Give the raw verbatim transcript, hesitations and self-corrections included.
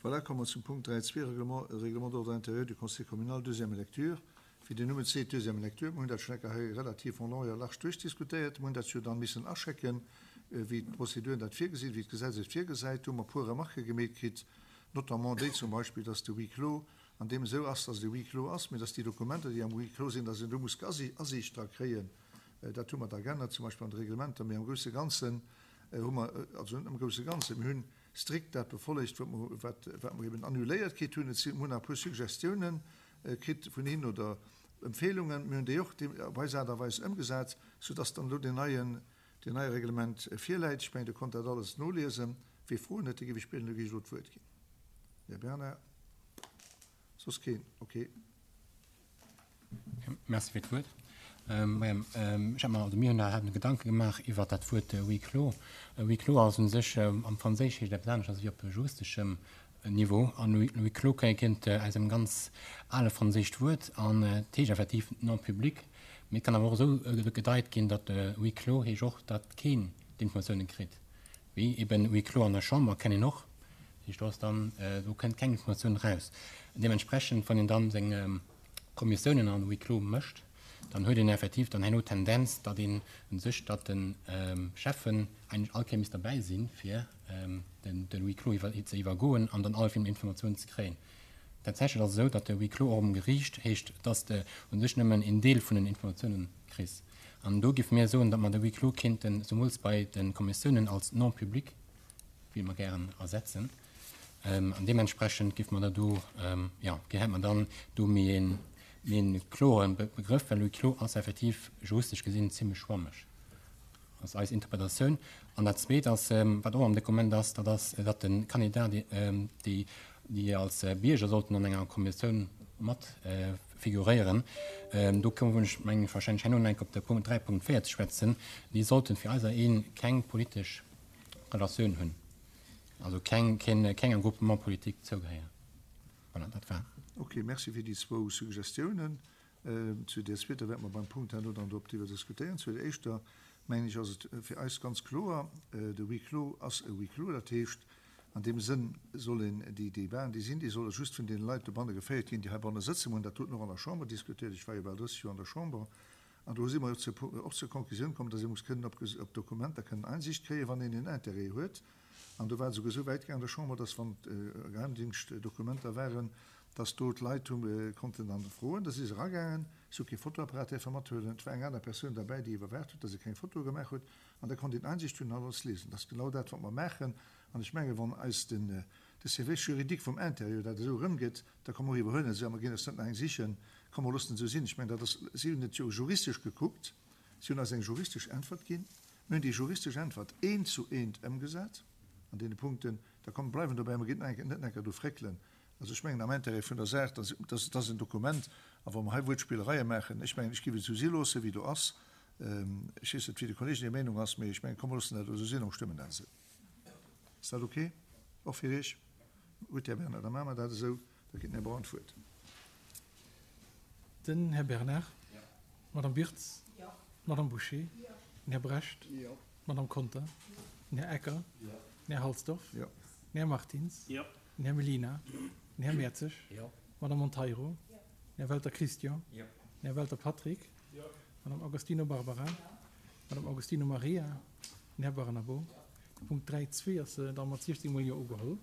Voilà, komme mer zum Punkt dräi zwee, Règlement, Règlement d'ordre intérieur du Conseil communal, deuxième lecture. Wéi den Numm et seet, deuxième lecture. Mir hunn dat schonn eng Kéier hei relativ en long et en large duerchdiskutéiert. Mir hunn dat jo dann missen aschecken, wéi d'Prozeduren dat virgesinn, wéi d'Gesetz et virgesäit. Do hu mer e puer Remarquë gemeet kritt, notamment déi zum Beispill, dass de Huis clos an deem esou ass, dass et e Huis clos ass, mee dass déi Dokumenter, déi am Huis clos sinn, dass een do muss Asiicht dra kréien. Dat hu mer da geännert, zum Beispill an de Reglementer. Mee am grousse Ganzen hu mer, also net am grousse Ganzen, mir hunn strikt dat befollegt, wat mer, wat, wat mer eben annuléiert kritt hunn. Et sinn, mir hunn nach e puer Suggestiounen kritt vun hinnen oder Empfehlungen. Mir hunn déi och op eis Aart a Weis ëmgesat, soudass dann elo deen neien, deen neie Reglement virläit. Ech mengen, Dir konnt dat alles noliesen. Wie Froen huet, dee géif ech bieden, elo géif ech elo d'Wuert ginn. Här Bernard. Soss keen? Okay. Merci fir d'Wuert. Majo, ech hat mer, also mir hunn haten Gedanke gemaach iwwert dat Wuert huis clos. Huis clos ass u sech, am Franséisch heescht et eppes anescht wéi op juristeschem Niveau. An huis clos kéint aus engem ganz ale franséischt Wuert an et heescht effektiv non public. Mee et kann awer och esou gedeit ginn, datt huis clos heescht och, datt keen d'Informatiounen kritt. Wéi eben huis clos an der Chamber kennt een och. Dat heescht, do ass dann, do kënnt keng Informatioun eraus. Deementsprechend, wann een dann seng Kommissiounen an huis clos mécht, dann huet een effektiv dann herno d'Tendenz, datt een u sech, datt de Schäffen eigentlech all Kéier misst derbäi sinn, fir den huis clos iwwer ze iwwergoen an dann all Informatiounen ze kréien. Tatsächlech ass et esou, datt de huis clos och um Geriicht heescht, datt s de u sech nëmmen een Deel vun den Informatiounen kriss. An do géife mir soen, datt mer de huis clos kéinten, zemools bei de Kommissiounen, als non public, wéi mer gären, ersetzen. An deementsprechend géife mer da do, jo, hätte mer dann do méi een, méi een kloere Begrëff, well huis clos ass effektiv juristesch gesinn zimlech schwammeg, ass eis Interpretatioun. An dat Zweet ass, wat och am Dokument ass, dat ass, datt de Kandidat, déi, déi als Bierger sollten an enger Kommissioun mat figuréieren, do kommen ech, mengen ech, wahrscheinlech herno nach eng Kéier op de Punkt dräi Punkt véier ze schwätzen, déi sollten fir eiser Een keng politesch Relatioun hunn, also keng, keng, kengem Groupement politique zougehéieren. Voilà, dat war. Ok, merci fir déi zwou Suggestiounen. Zu där zweeter wäerte mer beim Punkt herno dann drop driwwer diskutéieren. Zu der éischter, mengen ech, ass et fir eis ganz kloer, De Huis clos ass e Huis clos. Dat heescht, an deem Sënn soll een déi Debaten, déi sinn, déi solle just vun deene Leit dobanne geféiert ginn, déi heibanne sëtzen. Mer hunn dat doten och an der Chamber diskutéiert. Ech war jo bal drësseg Joer an der Chamber. An do si mer jo och zur Konklusioun komm, dass ee muss kënnen op Dokumenter kënnen Einsicht kréien, wann een en Intérêt huet. An do war et esouguer esou wäit gaangen an der Chamber, dass wann Geheimdingschtdokumenter waren, dass do d'Leit hu konnten dann froen. Da si se eragaangen, si hu kee Fotoapparat däerfe mathuelen. Et war eng aner Persoun derbäi, déi iwwerwaacht huet, dass e keng Fotoe gemaach huet. An da konnt een Einsicht hunn an alles liesen. Dat ass genau dat, wat mer maachen. An ech mengen, wann eis den de Service juridique vum Intérieur dat esou erëmgëtt, da komme mer iwwerhuelen se a mer ginn eis net nach eng sichen. Komm, mer loossen et esou sinn. Ech mengen, dat ass, si hunn et jo juristesch gekuckt, si hunn eis eng juristesch Äntwert ginn. Mir hunn déi juristesch Äntwert eent zu eent ëmgesat an deene Punkten. Da komm, bleiwen dobäi, mer ginn net nach eng Kéier do fréckelen. Also ech mengen am Intérêt vun der Saach, dass, dass ass en Dokument, a wa mer hei Wuertspillereie maachen, ech mengen, ech géif et esou si loosse wéi do ass. Ech weess net, wéi de Kollegen hir Meenung ass, mee ech mengen, komm mer loossen dat elo esou sinn a mer stëmmen dat esou. Ass dat ok och fir Iech? Gutt, Här Bernard, da maache mer dat esou. Da kritt den Här Braun d'Wuert. Den Här Bernard. D'Madame Birtz. D'Madame Bouché. Den Här Brecht. D'Madame Conter. Den Här Ecker. Den Här Halsdorf. Den Här Martins. Den Här Mellina. Den Här Mertzig. D'Madame Monteiro. Den Här Welter Christian. Den Här Welter Patrick. D'Madame Agostino Barbara. D'Madame Agostino Maria. Den Här Barnabo. De Punkt dräi zwee ass da mat siechzéng mol Jo ugeholl.